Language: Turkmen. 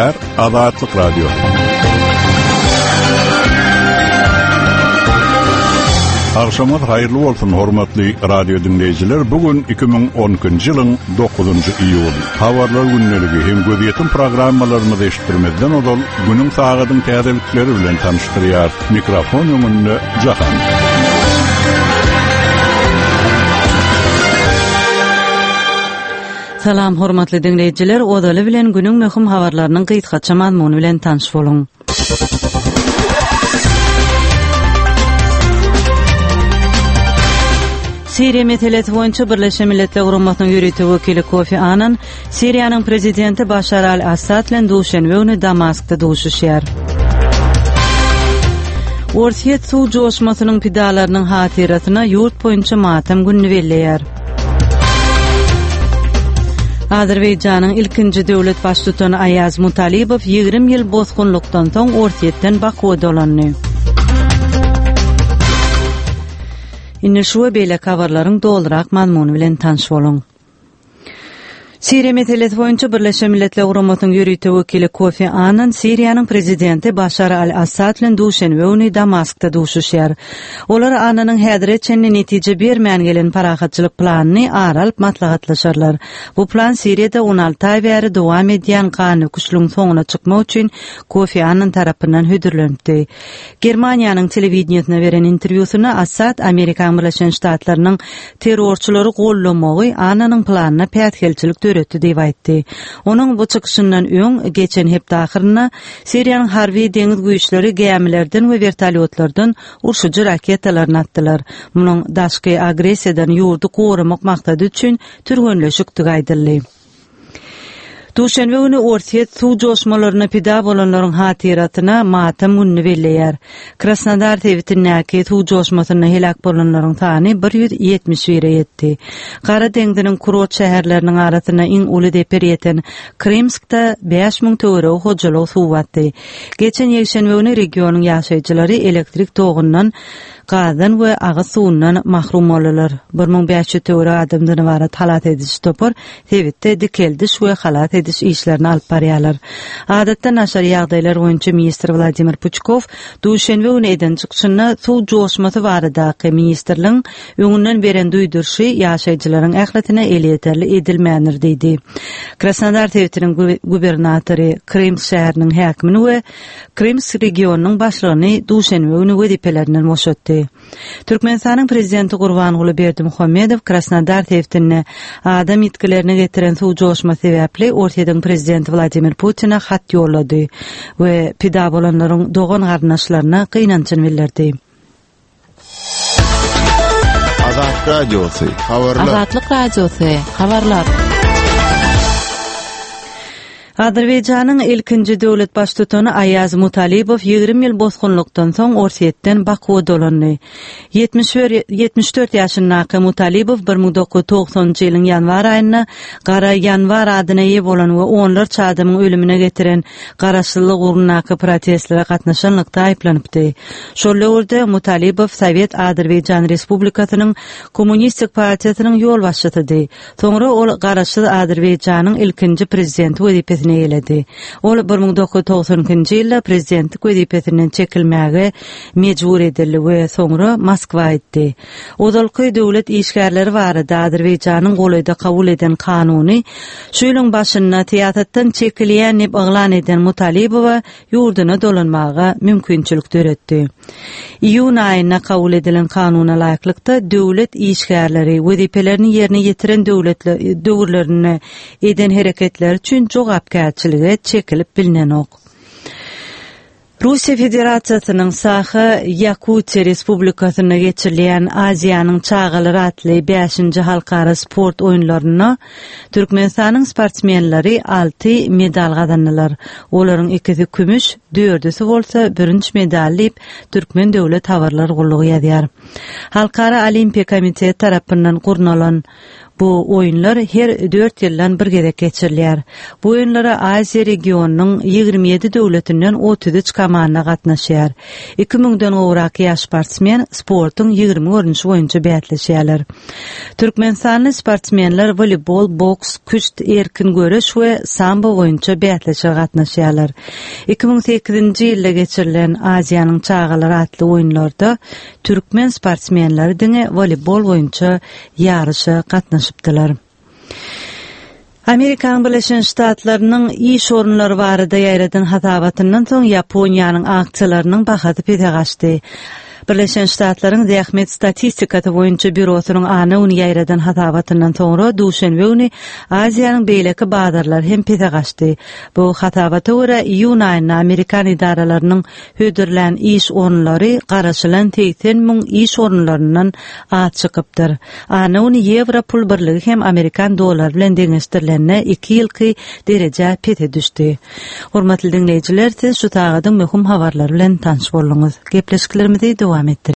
Gepleýär Azatlyk Radiosy. Agşamyňyz haýyrly bolsun, hormatly radio diňleýjiler. Bu gün 2012-nji ýylyň 9-njy iýuly. Habarlar gündeligi hem gözýetim programmalarymyzy eşitdirmezden ozal günüň sagadyň täzelikleri bilen tanyşdyrýar. Mikrofon öňünde Jahan. Salam hormatly diňleýjiler, ozaly bilen günüň möhüm habarlarynyň gysgaça mazmuny bilen tanyş boluň. Siriýa meselesi boýunça Birleşen Milletler Guramasynyň ýörite wekili Kofi Annan Siriýanyň prezidenti Başar al-Assad bilen duşenbe güni Damaskda duşuşýar. Orsýet suw joşmasynyň pidalarynyň hatyrasyna ýurt boýunça matam gününi belleýär. Azerbaýjanyň ilkinji döwlet baştutany Aýaz Mutalibow 20 ýyl bosgunlykdan soň Orsýetden Bakuwa dolandy. Indi şu we beýleki habarlaryň dolurak mazmuny bilen tanyş boluň. Siriýa meselesi boýunça Birleşen Milletler Guramasynyň ýörite wekili Kofi Annan Siriýanyň prezidenti Başar al-Assad bilen duşenbe güni Damaskda duşuşýar. Olar Annanyň häzire çenli netije bermän gelen parahatçylyk planyny ara alyp maslahatlaşarlar. Bu plan Siriýada 16 aý bäri dowam edýän gandöküşligiň soňuna çykmak üçin Kofi Annan tarapyndan hödürlenipdi. Germaniýanyň telewideniýesine beren interwýusynda Assad Amerikanyň Birleşen Ştatlarynyň terrorçylary goldamagy Annanyň planyna päsgelçilik döretdi diýip aýtdy. Onuň bu çykyşyndan öň, geçen hepde ahyrynda Siriýanyň harby deňiz güýçleri gämilerden we wertolýotlardan urşujy raketalaryny atdylar. Munuň daşky agressiýadan ýurdy goramak maksady üçin türgenleşikdigi aýdyldy. Duşenbe güni Orsýet suw joşmalaryna pida bolanlaryň hatyrasyna matam gününi belleýär. Krasnodar sebitindäki suw joşmasynda heläk bolanlaryň sany 171-e ýetdi. Gara deňziniň kurort şäherleriniň arasynda iň uly zeper ýeten Krymskda 5000 töweregi hojalygy suw basdy. Geçen ýekşenbe güni regionyň ýaşaýjylary elektrik togundan gazdan we agyz suwundan mahrum boldular. 1500 töweregi adamdan ybarat halas ediji topar sebitde dikeldiş we halas ediş işlerini alyp barýarlar. Adatdan daşary ýagdaýlar boýunça ministr Wladimir Puçkow duşenbe güni eden çykyşynda suw joşmasy baradaky ministrligiň öňünden beren duýduryşy ýaşaýjylaryň ählisine elýeterli edilmändir diýdi. Krasnodar sebitiniň gubernatory, Krymsk şäheriniň häkimini we Krymsk regionynyň başlygyny duşenbe güni wezipelerinden boşatdy. Türkmenistanyň Prezidenti Gurbanguly Berdimuhamedow Krasnodar sebitinde adam ýitgilerine getiren suw joşmasy sebäpli Orsýetiň Prezidenti Wladimir Putine hat ýollady we pida bolanlaryň dogan-garyndaşlaryna gynanjyny bildirdi. Azatlyk Radiosy, habarlar. Azatlyk Radiosy, habarlar. Azerbaýjanyň ilkinji döwlet baştutany Aýaz Mutalibow 20 ýyl bosgunlykdan soň Orsýetden Bakuwa dolandy. 74 ýaşyndaky Mutalibow 1990-njy ýylyň ýanwar aýynda Gara ýanwar adyna eýe bolan we onlarça adamyň ölümine getiren garaşsyzlyk ugrundaky protestlere gatnaşanlykda aýyplanypdy. Şol döwürde Mutalibow Sowet Azerbaýjan Respublikasynyň Kommunistik partiýasynyň ýolbaşçysydy. Soňra ol Garaşsyz Azerbaýjanyň ilkinji prezidenti wezipesini eýeledi. Ol 1992-nji ýylda prezidentlik wezipesinden çekilmäge mejbur edildi we soňra Moskwa gitdi. Ozalky döwlet işgärleri barada Azerbaýjanyň golaýda kabul eden kanuny şu ýylyň başynda syýasatdan çekilýän diýip yglan eden Mutalibowa ýurduna dolanmaga mümkinçilik döretdi. Iýun aýynda kabul edilen kanuna laýyklykda, döwlet işgärleri wezipelerini ýerine ýetiren döwürlerinde eden hereketleri üçin jogapkärçilige çekilip bilnenok. Russiýa Federasiýasynyň Saha, Ýakutiýa Respublikasynda geçirilýän Aziýanyň çagalary atly bäşinji halkara sport oýunlarynda Türkmenistanyň sportsmenleri alty medal gazandylar. Olaryň ikisi kümüş, dördüsi bolsa bürünç medal diýip, Türkmen döwlet habarlar gullugy ýazýar. Halkara Olimpiýa komiteti tarapyndan gurnalan. Bu oýunlar her dört ýyldan bir gezek geçirilýär. Bu oýunlara Aziýa regionynyň 27 döwletinden 33 komanda gatnaşýar. Iki müňden gowrak ýaş sportsmen sportuň 20 görnüşi boýunça bäsleşýärler. Türkmenistanly sportsmenler woleýbol, boks, küşt, erkin göreş we sambo boýunça bäsleşige gatnaşýarlar. 2008-nji ýylda geçirilen Aziýanyň çagalary atly oýunlarda türkmen sportsmenleri diňe woleýbol boýunça ýaryşa gatnaşypdylar. Amerikanyň Birleşen Ştatlarynyň iş orunlary barada ýaýradan hasabatyndan soň Ýaponiýanyň aksiýalarynyň bahasy pese gaçdy. Birleşen Ştatlaryň Zähmet statistikasy boýunça býurosynyň anna güni ýaýradan hasabatyndan soňra duşenbe güni Aziýanyň beýleki bazarlary hem pese gaçdy. Bu hasabata görä, iýun aýynda amerikan edaralarynyň hödürlän iş orunlary garaşylan 80 müň iş orunlaryndan az çykypdyr. Anna güni ýewro pul birligi hem amerikan dollary bilen deňeşdirilende iki ýylky derejä pese düşdi. Hormatly diňleýjiler, siz şu sagadyň möhüm habarlary bilen tanyş bolduňyz. Gepleşiklerimizi dowam etdirýäris.